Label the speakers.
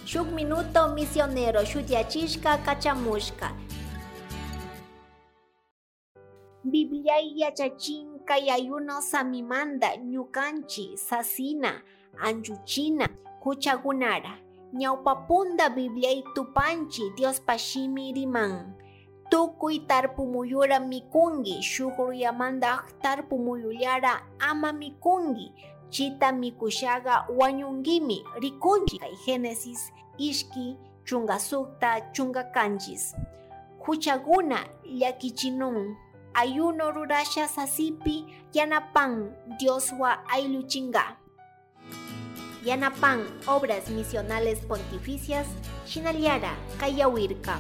Speaker 1: Shuk minuto misionero shutiyachishka kachamushka. Bibliai yachachin kay ayuno samimanda ñukanchi sasina anchuchina huchakunara. Ñawpapunda Bibliai tupanchi Diospa shimi riman. Tukuy tarpumuyura mikunki, shuk ruyamanta tarpumuyullara ama mikunki. Chita mikushaga wañunkimi rikunchi kay Génesis ishki chunga sukta chunga kanchis. Huchaguna llakichinun ayuno rurasha sasipi yanapan Dioswa ayluchinga. Yanapan Obras Misionales Pontificias, Shinallara, Kayawirka.